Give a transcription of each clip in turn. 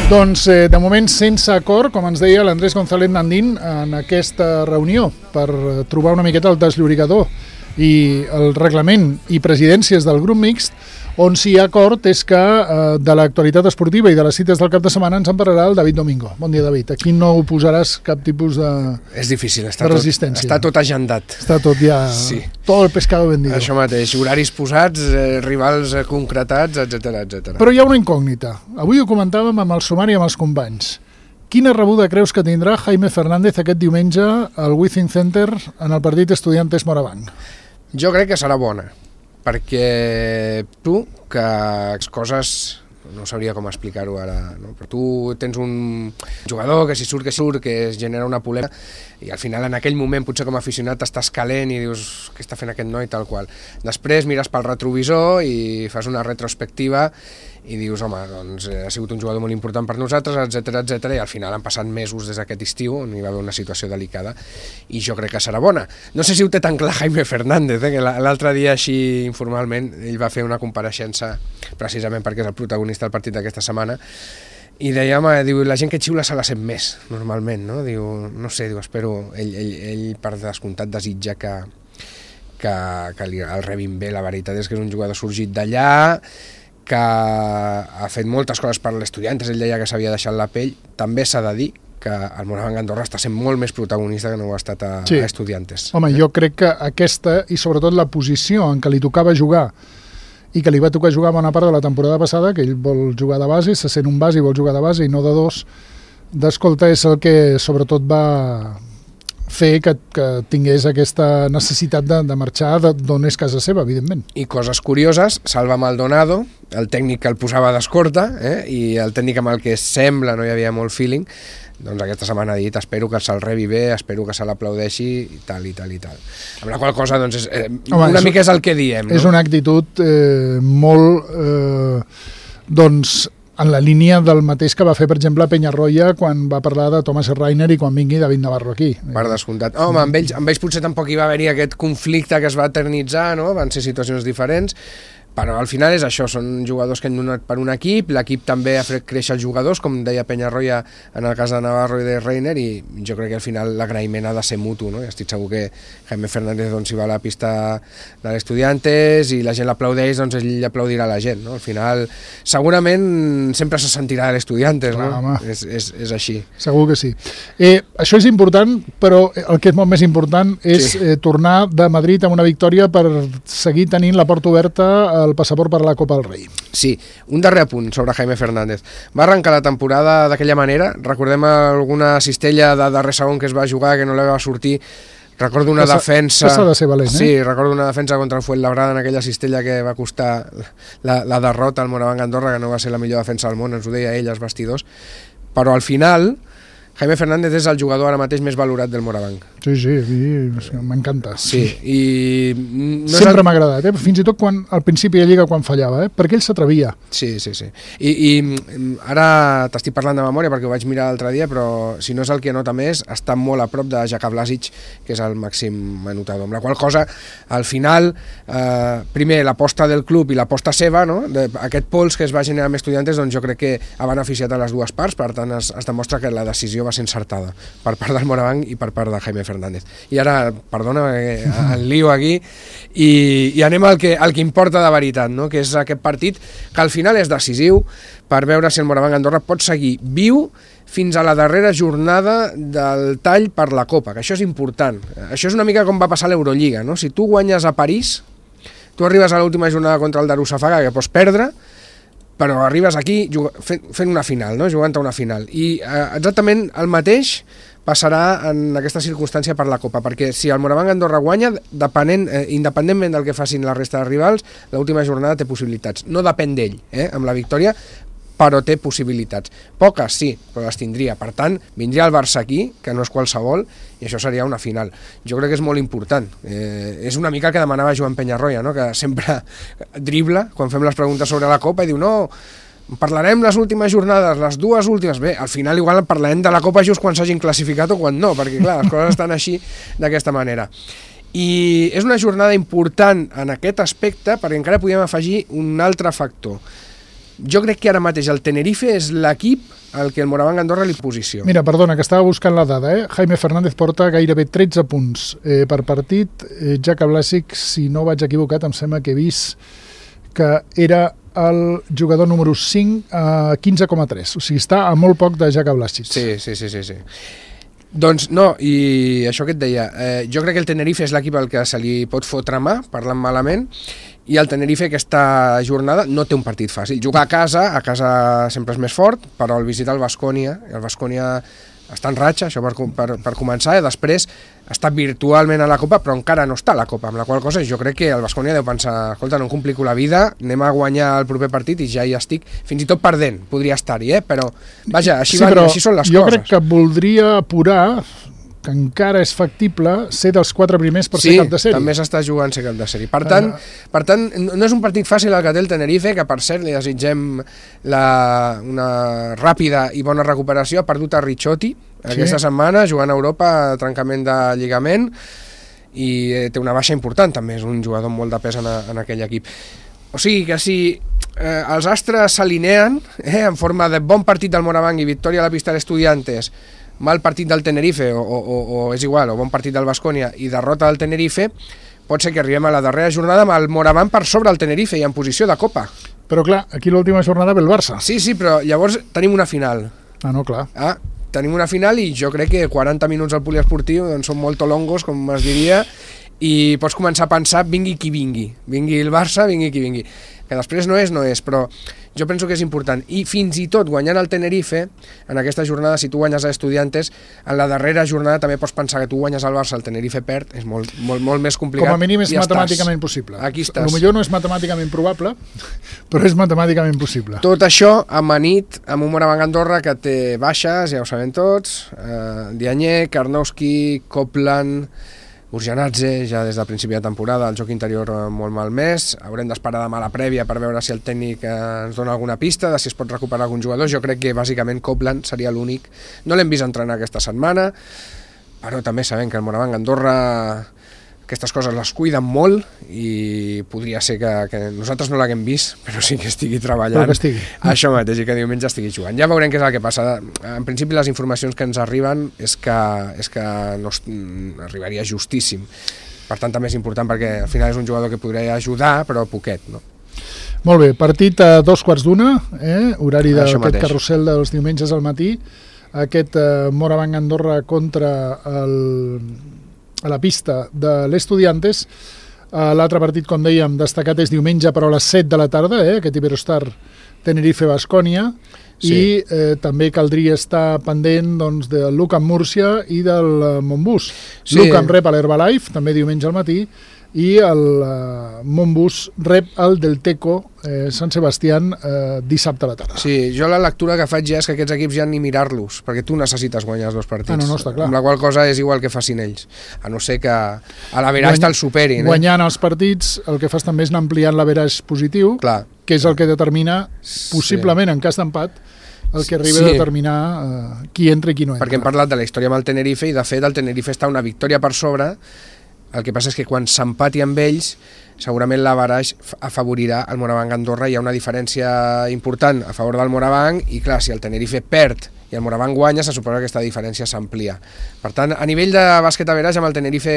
Doncs, de moment, sense acord, com ens deia l'Andrés González Nandín en aquesta reunió, per trobar una miqueta el desllorigador i el reglament i presidències del grup mixt, on sí hi ha acord és que de l'actualitat esportiva i de les cites del cap de setmana ens en parlarà el David Domingo. Bon dia, David. Aquí no oposaràs cap tipus de És difícil, resistència. Està tot agendat. Està tot ja... Sí. Tot el pescado vendido. Això mateix, horaris posats, rivals concretats, etc. Però hi ha una incògnita. Avui ho comentàvem amb el sumari amb els companys. Quina rebuda creus que tindrà Jaime Fernández aquest diumenge al Wizzing Center en el partit Estudiantes-Morabanc? Jo crec que serà bona, perquè tu, que les coses... no sabria com explicar-ho ara, no? Però tu tens un jugador que si surt, que es genera una polèmica i al final en aquell moment potser com a aficionat estàs calent i dius què està fent aquest noi tal qual. Després mires pel retrovisor i fas una retrospectiva i dius, home, doncs ha sigut un jugador molt important per nosaltres, etc. I al final han passat mesos des d'aquest estiu on hi va haver una situació delicada i jo crec que serà bona. No sé si ho té tan clar Jaime Fernández, que l'altre dia així informalment ell va fer una compareixença precisament perquè és el protagonista del partit d'aquesta setmana i deia, home, diu, la gent que xiula se la sent més normalment, no? Diu, no sé, diu, espero, ell per descomptat desitja que el rebin bé. La veritat és que és un jugador sorgit d'allà, que ha fet moltes coses per l'Estudiantes, ell deia que s'havia deixat la pell. També s'ha de dir que el Morabanc Andorra està sent molt més protagonista que no ho ha estat a Estudiantes. Home, jo crec que aquesta, i sobretot la posició en què li tocava jugar, i que li va tocar jugar bona part de la temporada passada, que ell vol jugar de base, se sent un base i vol jugar de base i no de dos, d'escolta, és el que sobretot va fer que tingués aquesta necessitat de marxar d'on és casa seva, evidentment. I coses curioses, Salva Maldonado, el tècnic que el posava d'escorta, i el tècnic amb el que sembla no hi havia molt feeling, doncs aquesta setmana ha dit, espero que se'l rebi bé, espero que se l'aplaudeixi, i tal. Amb la qual cosa, doncs, una mica és el que diem, no? És una actitud molt, doncs, en la línia del mateix que va fer, per exemple, Peñarroya quan va parlar de Thomas Reiner i quan vingui David Navarro aquí. Per descomptat. Home, amb ells potser tampoc hi va haver-hi aquest conflicte que es va eternitzar, no? Van ser situacions diferents, però al final és això, són jugadors que han donat per un equip, l'equip també ha fet créixer els jugadors, com deia Peñarroya en el cas de Navarro i de Reiner, i jo crec que al final l'agraïment ha de ser mutu, no? I estic segur que Jaime Fernández, doncs, si va a la pista de l'Estudiantes i la gent l'aplaudeix, doncs ell aplaudirà la gent, no? Al final, segurament sempre se sentirà de l'Estudiantes, no? És així. Segur que sí. Això és important, però el que és molt més important és tornar de Madrid amb una victòria per seguir tenint la porta oberta el passaport per a la Copa del Rei. Sí, un darrer apunt sobre Jaime Fernández. Va arrencar la temporada d'aquella manera, recordem alguna cistella de darrer segon que es va jugar que no li va sortir. Recordo una defensa... Que s'ha de ser valent, Sí, recordo una defensa contra el Fuenlabrada en aquella cistella que va costar la derrota al Morabanc Andorra, que no va ser la millor defensa del món, ens ho deia ell, els vestidors. Però al final, Jaime Fernández és el jugador ara mateix més valorat del Morabanc. Sí, m'encanta. Sí, i... Sempre m'ha agradat, fins i tot al principi de Lliga quan fallava, perquè ell s'atrevia. Sí. I ara t'estic parlant de memòria perquè ho vaig mirar l'altre dia, però si no és el que nota més, està molt a prop de Jaka Blasic, que és el màxim anotador. Amb la qual cosa, al final, primer l'aposta del club i l'aposta seva, no? Aquest pols que es va generar amb Estudiantes, doncs jo crec que ha beneficiat a les dues parts, per tant es demostra que la decisió va ser encertada per part del Morabanc i per part de Jaime Fernández. I ara, perdona, el lío aquí, i anem al que importa de veritat, no? Que és aquest partit que al final és decisiu per veure si el Morabanc Andorra pot seguir viu fins a la darrera jornada del tall per la Copa, que això és important. Això és una mica com va passar a l'Eurolliga, no? Si tu guanyes a París, tu arribes a l'última jornada contra el Darussafaga, que pots perdre, però arribes aquí fent una final, no? Jugant a una final. I exactament el mateix passarà en aquesta circumstància per la Copa, perquè si el Morabanc Andorra guanya, independentment del que facin la resta de rivals, l'última jornada té possibilitats. No depèn d'ell, amb la victòria, però té possibilitats. Poques, sí, però les tindria. Per tant, vindria el Barça aquí, que no és qualsevol, i això seria una final. Jo crec que és molt important. És una mica el que demanava Joan Peñarroya, no? Que sempre dribla quan fem les preguntes sobre la Copa i diu, no, parlarem les últimes jornades, les dues últimes. Bé, al final igual parlarem de la Copa just quan s'hagin classificat o quan no, perquè clar, les coses estan així d'aquesta manera. I és una jornada important en aquest aspecte perquè encara podem afegir un altre factor. Jo crec que ara mateix el Tenerife és l'equip al que el Moraván Andorra li posiciona. Mira, perdona, que estava buscant la dada, Jaime Fernández porta gairebé 13 punts per partit. Jaka Blasic, si no vaig equivocat, em sembla que he vist que era el jugador número 5 a 15,3. O sigui, està a molt poc de Jaka Blasic. Sí. Doncs no, i això que et deia, jo crec que el Tenerife és l'equip al que se li pot fotre mà, parlant malament, i el Tenerife aquesta jornada no té un partit fàcil. Jugar a casa sempre és més fort, però el visitar el Baskonia, i el Baskonia està en ratxa, això per començar, i després està virtualment a la Copa, però encara no està a la Copa, amb la qual cosa jo crec que el Baskonia deu pensar, escolta, no em complico la vida, anem a guanyar el proper partit i ja hi estic, fins i tot perdent, podria estar-hi, però vaja, així són les coses. Jo crec que voldria apurar, que encara és factible, ser dels 4 primers per ser cap de sèrie. Sí, també s'està jugant ser cap de sèrie. Per tant, no és un partit fàcil el que té el Tenerife, que per cert li desitgem una ràpida i bona recuperació. Ha perdut a Ricciotti aquesta setmana, jugant a Europa, trencament de lligament, i té una baixa important també, és un jugador amb molt de pes en aquell equip. O sigui que si els astres s'alineen en forma de bon partit del Moraván i victòria a la pista d'Estudiantes, mal partit del Tenerife o és igual, o bon partit del Baskonia i derrota del Tenerife, pot ser que arribem a la darrera jornada amb el Moraván per sobre el Tenerife i en posició de Copa. Però clar, aquí l'última jornada ve el Barça. Sí, però llavors tenim una final. No, clar. Tenim una final i jo crec que 40 minuts al poliesportiu doncs són molt tolongos, com es diria, i pots començar a pensar vingui qui vingui. Vingui el Barça, vingui qui vingui. Que després no és, però jo penso que és important. I fins i tot guanyant el Tenerife, en aquesta jornada, si tu guanyes a Estudiantes, en la darrera jornada també pots pensar que tu guanyes al Barça, el Tenerife perd, és molt més complicat. Com a mínim és matemàticament possible. Aquí estàs. Potser no és matemàticament probable, però és matemàticament possible. Tot això amanit amb un Moraván Andorra que té baixes, ja ho sabem tots, Diagne, Karnowski, Copland, Urjanadze, ja des del principi de temporada, el joc interior molt malmès. Haurem d'esperar demà la prèvia per veure si el tècnic ens dona alguna pista, de si es pot recuperar algun jugador. Jo crec que bàsicament Copland seria l'únic. No l'hem vist entrenar aquesta setmana, però també sabem que el Moraván Andorra aquestes coses les cuiden molt i podria ser que nosaltres no l'haguem vist, però sí que estigui treballant això mateix i que diumenge estigui jugant. Ja veurem què és el que passa. En principi les informacions que ens arriben és que no arribaria justíssim. Per tant també és important perquè al final és un jugador que podria ajudar, però poquet, no? Molt bé, partit a 2:15, horari d'aquest carrusel dels diumenges al matí. Aquest Moraván Andorra contra a la pista de l'Estudiantes. L'altre partit, com dèiem, destacat és diumenge, però a les 7 de la tarda, aquest Iberostar Tenerife-Baskonia, i també caldria estar pendent del Lucan Múrcia i del Montbus. Lucan rep a l'Herbalife, també diumenge al matí, i el Montbus rep el del Teco Sant Sebastián dissabte a la tarda. Sí, jo la lectura que faig ja és que aquests equips ja ni mirar-los, perquè tu necessites guanyar els dos partits. No, està clar. Amb la qual cosa és igual que facin ells, a no ser que a l'average te'l superin. Guanyant els partits el que fas també és anar ampliant l'average positiu, que és el que determina possiblement en cas d'empat el que arriba a determinar qui entra i qui no entra. Perquè hem parlat de la història amb el Tenerife i de fet el Tenerife està una victòria per sobre. El que passa és que quan s'empati amb ells, segurament l'average afavorirà el Moraván Andorra. Hi ha una diferència important a favor del Moraván i, clar, si el Tenerife perd i el Moraván guanya, se suposa que aquesta diferència s'amplia. Per tant, a nivell de bàsquet average, amb el Tenerife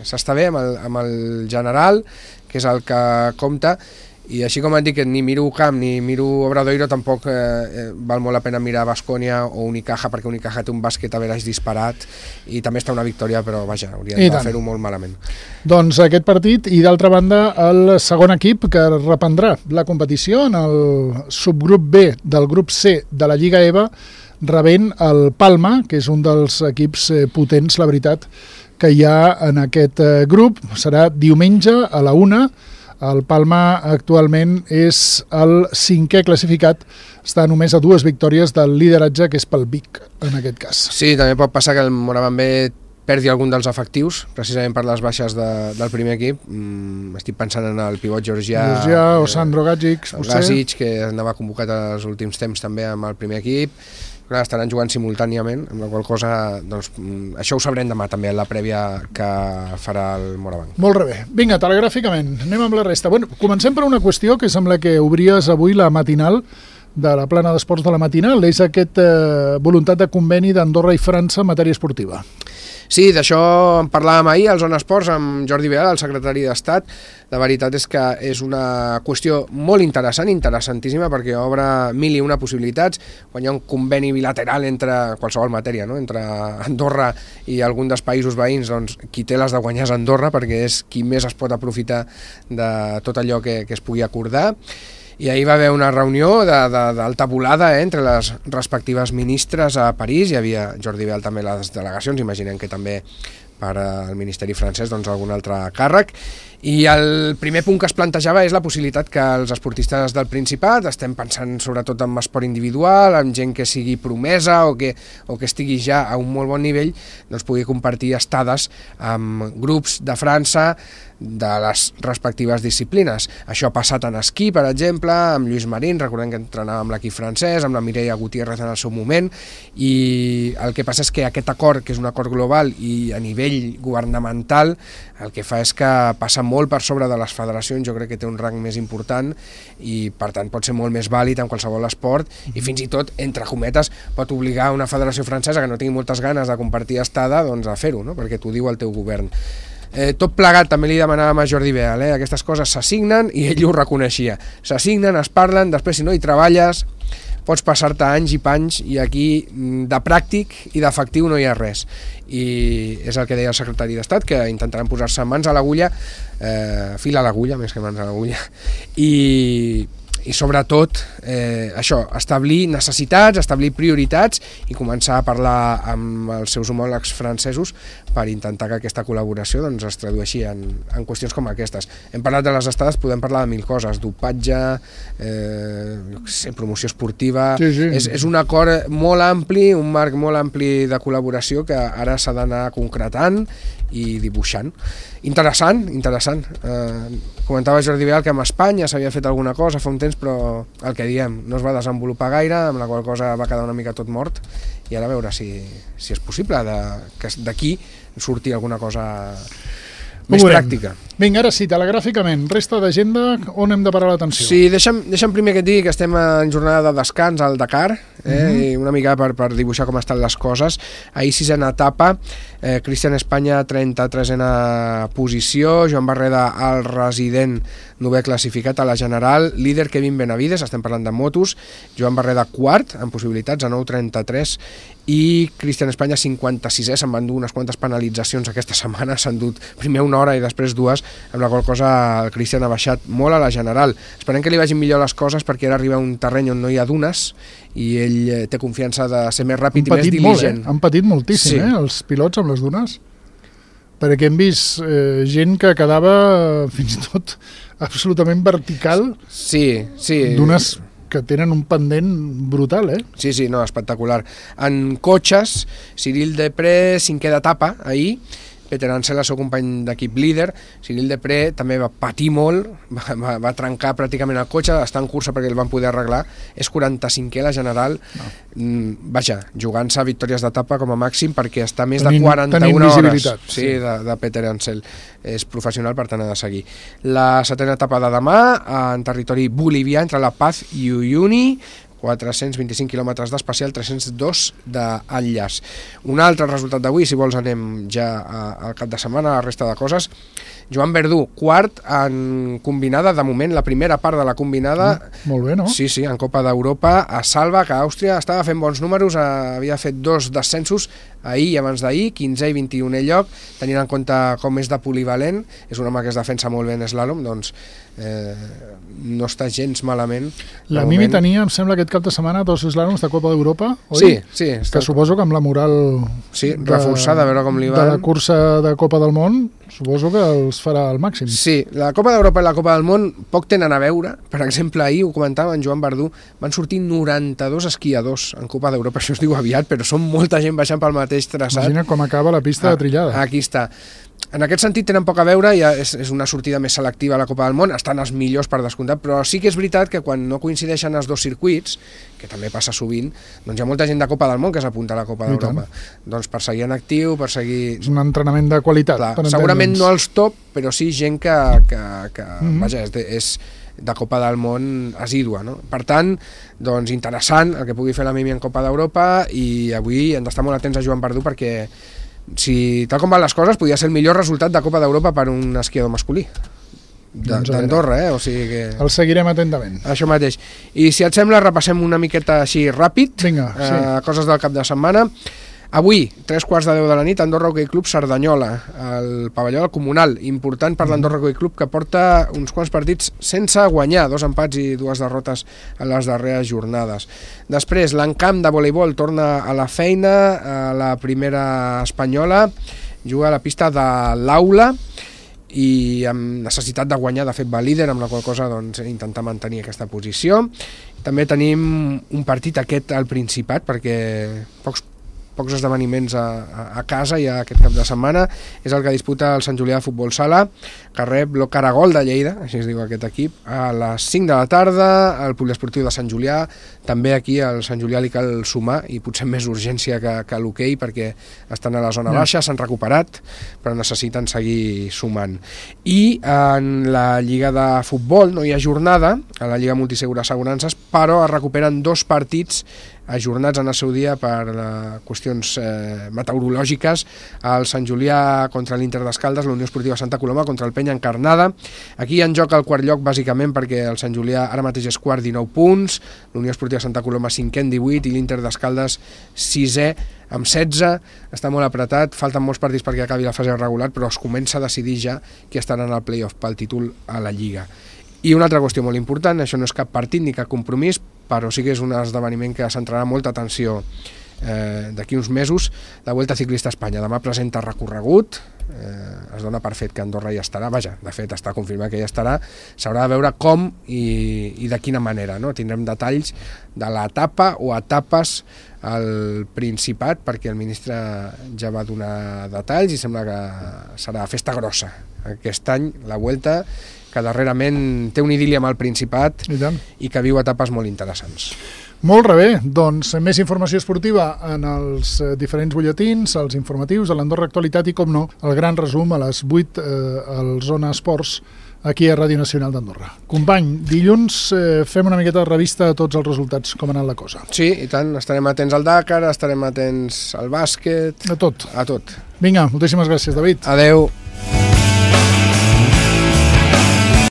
s'està bé, amb el general, que és el que compta, i així com et dic que ni miro Camp ni miro Obradoiro, tampoc val molt la pena mirar Baskonia o Unicaja, perquè Unicaja té un bàsquet average disparat i també està una victòria, però vaja, haurien de fer-ho molt malament. Doncs aquest partit, i d'altra banda el segon equip que reprendrà la competició en el subgrup B del grup C de la Lliga EVA, rebent el Palma, que és un dels equips potents, la veritat, que hi ha en aquest grup. Serà diumenge a la 1. El Palma actualment és el 5è classificat, està només a 2 victòries del lideratge, que és pel Vic, en aquest cas. Sí, també pot passar que el Moraván B perdi algun dels efectius, precisament per les baixes del primer equip. Estic pensant en el pivot georgià o Sandro Gagic, Gagic, que anava convocat als últims temps també amb el primer equip. clar, estaran jugant simultàniament, amb la qual cosa, doncs, això ho sabrem demà també, en la prèvia que farà el Morabanc. Molt bé. Vinga, telegràficament, anem amb la resta. Bueno, comencem per una qüestió que sembla que obries avui la matinal de la plana d'esports de la matinal, és aquest voluntat de conveni d'Andorra i França en matèria esportiva. Sí, d'això en parlàvem ahir al Zona Esports amb Jordi Vidal, el secretari d'Estat. La veritat és que és una qüestió molt interessant, interessantíssima, perquè obre mil i una possibilitats. Quan hi ha un conveni bilateral entre qualsevol matèria, no? Entre Andorra i algun dels països veïns, doncs qui té les de guanyar és Andorra, perquè és qui més es pot aprofitar de tot allò que es pugui acordar. I ahir va haver una reunió d'alta volada entre les respectives ministres a París. Hi havia Jordi Vidal també les delegacions, imaginem que també per al Ministeri francès doncs algun altre càrrec. I el primer punt que es plantejava és la possibilitat que els esportistes del Principat, estem pensant sobretot en esport individual, en gent que sigui promesa o que estigui ja a un molt bon nivell, doncs pugui compartir estades amb grups de França de les respectives disciplines. Això ha passat en esquí, per exemple, amb Lluís Marín, recordem que entrenava amb l'equip francès, amb la Mireia Gutiérrez en el seu moment, i el que passa és que aquest acord, que és un acord global i a nivell governamental, el que fa és que passa molt per sobre de les federacions, jo crec que té un rang més important i per tant pot ser molt més vàlid en qualsevol esport i fins i tot, entre cometes, pot obligar una federació francesa que no tingui moltes ganes de compartir estada doncs a fer-ho, no? Perquè t'ho diu el teu govern. Tot plegat, també li demanàvem a Jordi Vidal, aquestes coses s'assignen i ell ho reconeixia. S'assignen, es parlen, després si no hi treballes pots passar-te anys i panys i aquí de pràctic i d'efectiu no hi ha res. I és el que deia el secretari d'Estat, que intentaran posar-se mans a l'agulla, fil a l'agulla més que mans a l'agulla, i sobretot això, establir necessitats, establir prioritats i començar a parlar amb els seus homòlegs francesos per intentar que aquesta col·laboració doncs, es tradueixi en qüestions com aquestes. Hem parlat de les estades, podem parlar de mil coses, dopatge, promoció esportiva. Sí. És un acord molt ampli, un marc molt ampli de col·laboració que ara s'ha d'anar concretant i dibuixant. Interessant. Comentava Jordi Vidal que amb Espanya s'havia fet alguna cosa fa un temps, però el que diem, no es va desenvolupar gaire, amb la qual cosa va quedar una mica tot mort, i ara a veure si és possible que d'aquí surti alguna cosa més pràctica. Vinga, ara sí, telegràficament, resta d'agenda, on hem de parar l'atenció? Sí, deixa'm primer que et digui que estem en jornada de descans al Dakar, i una mica per dibuixar com estan les coses. Ahir 6a etapa, Cristian Espanya 33a posició, Joan Barreda el resident 9è classificat a la general, líder Kevin Benavides, estem parlant de motos, Joan Barreda quart, amb possibilitats a 9.33, i Cristian Espanya 56è, se'n van dur unes quantes penalitzacions aquesta setmana, s'han dut primer una hora i després dues, amb la qual cosa el Cristian ha baixat molt a la general. Esperem que li vagin millor les coses perquè ara arriba a un terreny on no hi ha dunes i ell té confiança de ser més ràpid i més diligent. Han patit moltíssim, sí. Els pilots amb les dunes, perquè hem vist gent que quedava fins i tot absolutament vertical. Sí. Dunes que tenen un pendent brutal, Sí, no, espectacular. En cotxes, Cyril Depré, 5è d'etapa, ahir, Peter Ansel, el seu company d'equip líder. Cyril Depré també va patir molt, va trencar pràcticament el cotxe, està en cursa perquè el van poder arreglar, és 45è la general, vaja, jugant-se a victòries d'etapa com a màxim perquè està més de 41 hores de Peter Ansel. És professional, per tant ha de seguir. La 7a etapa de demà, en territori bolivià, entre La Paz i Uyuni, 425 quilòmetres d'especial, 302 d'enllaç. Un altre resultat d'avui, si vols anem ja al cap de setmana, a la resta de coses. Joan Verdú, quart en combinada, de moment, la primera part de la combinada. Molt bé, no? Sí, en Copa d'Europa, a Salva, que Àustria estava fent bons números, havia fet 2 descensos ahir i abans d'ahir, 15è i 21è lloc, tenint en compte com és de polivalent, és un home que es defensa molt bé en eslàlom, doncs no està gens malament. La Mimi tenia, em sembla, aquest cap de setmana 2 eslàloms de Copa d'Europa, oi? Sí. Que suposo que amb la moral reforçada, a veure com li van. De la cursa de Copa del Món, suposo que els farà al màxim. Sí, la Copa d'Europa i la Copa del Món poc tenen a veure. Per exemple, ahir ho comentava en Joan Verdú, van sortir 92 esquiadors en Copa d'Europa, això es diu aviat, però són molta gent baixant pel mateix mateix traçat. Imagina com acaba la pista de trillada. Aquí està. En aquest sentit tenen poc a veure, ja és una sortida més selectiva a la Copa del Món, estan els millors per descomptat, però sí que és veritat que quan no coincideixen els dos circuits, que també passa sovint, doncs hi ha molta gent de Copa del Món que s'apunta a la Copa d'Europa. Doncs per seguir en actiu, per seguir... És un entrenament de qualitat. Clar, segurament no als top, però sí gent que vaja, és de Copa del Món assídua, no? Per tant, doncs interessant el que pugui fer la Mimi en Copa d'Europa, i avui hem d'estar molt atents a Joan Verdú perquè si tal com van les coses podria ser el millor resultat de Copa d'Europa per un esquiador masculí d'Andorra, o sigui que... El seguirem atentament. Això mateix. I si et sembla, repassem una miqueta així ràpid. Vinga, sí. Coses del cap de setmana. Avui, 3:15 de la nit, Andorra Hockey Club Cerdanyola, al pavelló del Comunal. Important per l'Andorra Hockey Club, que porta uns quants partits sense guanyar, 2 empats i 2 derrotes en les darreres jornades. Després, l'Encamp de voleibol torna a la feina, a la primera espanyola, juga a la pista de l'Aula, i amb necessitat de guanyar, de fet va líder, amb la qual cosa doncs, intentar mantenir aquesta posició. També tenim un partit aquest al Principat, perquè pocs esdeveniments a casa ja aquest cap de setmana. És el que disputa el Sant Julià de Futbol Sala, que rep el Caragol de Lleida, així es diu aquest equip, a les 5 de la tarda, al Poliesportiu de Sant Julià. També aquí al Sant Julià li cal sumar, i potser més urgència que l'hoquei, perquè estan a la zona baixa, s'han recuperat, però necessiten seguir sumant. I en la Lliga de Futbol no hi ha jornada, a la Lliga Multisegura Assegurances, però es recuperen 2 partits ajornats en el seu dia per qüestions meteorològiques. El Sant Julià contra l'Inter d'Escaldes, la Unió Esportiva Santa Coloma contra el Penya Encarnada. Aquí en joc el quart lloc, bàsicament perquè el Sant Julià ara mateix és quart, 19 punts, la Unió Esportiva Santa Coloma 5è amb 18 i l'Inter d'Escaldes 6è amb 16. Està molt apretat, falten molts partits perquè acabi la fase regular, però es comença a decidir ja qui estaran al play-off pel títol a la Lliga. I una altra qüestió molt important, això no és cap partit ni cap compromís, però sí que és un esdeveniment que centrarà molta atenció d'aquí uns mesos, la Vuelta Ciclista a Espanya. Demà presenta recorregut, es dona per fet que Andorra ja estarà, vaja, de fet està confirmat que ja estarà, s'haurà de veure com i de quina manera, no? Tindrem detalls de l'etapa o etapes al Principat, perquè el ministre ja va donar detalls i sembla que serà festa grossa aquest any, la Vuelta, que darrerament té una idília amb el Principat i que viu etapes molt interessants. Molt bé, doncs més informació esportiva en els diferents butlletins, els informatius, a l'Andorra Actualitat i, com no, el gran resum a les 8 al Zona Esports aquí a Ràdio Nacional d'Andorra. Company, dilluns fem una miqueta de revista a tots els resultats, com ha anat la cosa. Sí, i tant, estarem atents al Dakar, estarem atents al bàsquet... A tot. A tot. Vinga, moltíssimes gràcies, David. Adeu.